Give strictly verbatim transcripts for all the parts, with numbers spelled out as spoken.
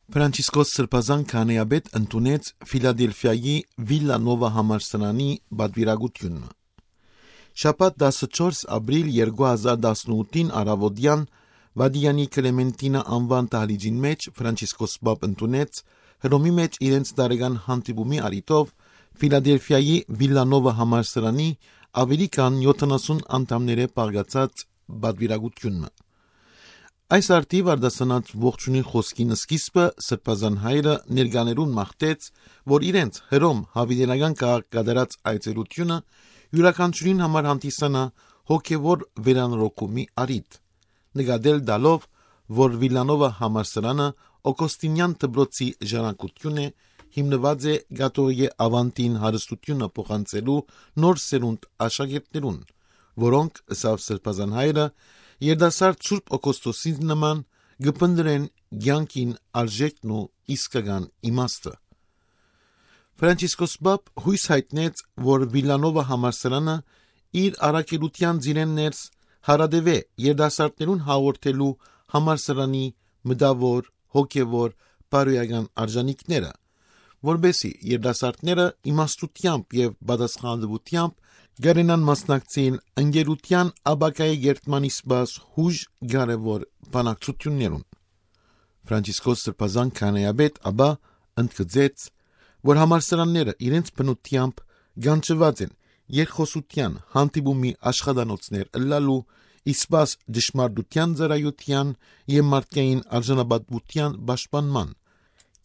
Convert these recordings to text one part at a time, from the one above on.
Ֆրանցիսկոս Սրբազան քահանայապետ ընդունեց Ֆիլադելֆիայի Վիլլանովա համալսարանի պատուիրակութիւնը։ Շաբաթ, տասնչորս ապրիլ երկու հազար տասնութին, առաւօտեան Վատիկանի Կլեմենտինա անուան դահլիճին մէջ Ֆրանցիսկոս Պապ ընդունեց Հռոմի մէջ իրենց տարեկան հանդիպումի առիթով Ֆիլադելֆիայի Վիլլանովա համալսարանի աւելի քան եթանասուն անդամներէ բաղկացած պատուիրակութիւնը։ Այս արդիւ արտասանած ողջունի խօսքին սկիզբը Սրբազան հայրը ներկաներուն մաղթեց, որ իրենց Հռոմ յաւիտենական քաղաք կատարած այցելութիւնը իւրաքանչիւրին համար հանդիսանայ հոգեւոր վերանորոգումի առիթ, նկատել տալով, որ Վիլլանովա համալսարանը Օգոստինեան դպրոցի ժառանգութիւն է, հիմնուած է կաթողիկէ աւանդին հարստութիւնը փոխանցելու նոր սերունդ աշակերտներուն, որոնք, ըսաւ Սրբազան հայրը, երիտասարդ Սուրբ Օգոստոսին նման կը փնտռեն կեանքին արժեքն ու իսկական իմաստը։ Ֆրանցիսկոս Պապ յոյս յայտնեց, որ Վիլլանովա համալսարանը իր առաքելութեան ծիրէն ներս հարատեւէ երիտասարդներուն հաղորդելու համալսարանի մտաւոր, հոգեւոր, բարոյական արժանիքները, որպէսզի երիտասարդները իմաստութեամբ եւ պատասխանատուութեամբ կարենան մասնակցիլ ընկերութեան ապագայի կերտման սպաս յուժ կարեւոր բանակցութիւններուն։ Ֆրանցիսկոս Սրբազան քահանայապետ ապա ընդգծեց, որ համալսարանները իրենց բնութեամբ կանչուած են երկխօսութեան, հանդիպումի աշխատանոցներ ըլլալու, սպաս ճշմարտութեան ծառայութեան եւ մարդկային արժանապատուութեան պաշտպանման,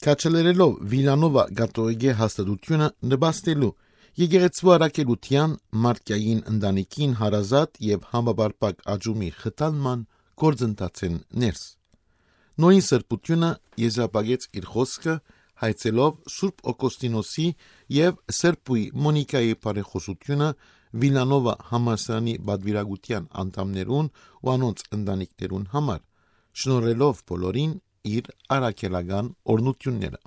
քաջալերելով Վիլանովա կաթողիկէ հաստատութիւնը նպաստելու եկեղեցու առաքելութեան, մարդկային ընտանիքին հարազատ եւ համապարփակ աճումի խթանման գործընթացէն ներս։ Նոյն սրբութիւնը եզրափակեց իր խօսքը հայցելով Սուրբ Օգոստինոսի եւ Սրբոյ Մոնիկայի բարեխօսութիւնը Վիլանովա համալսարանի պատուիրակութեան անդամներուն ու անոնց ընտանիքներուն համար, շնորհելով բոլորին իր առաքելական օրհնութիւնները։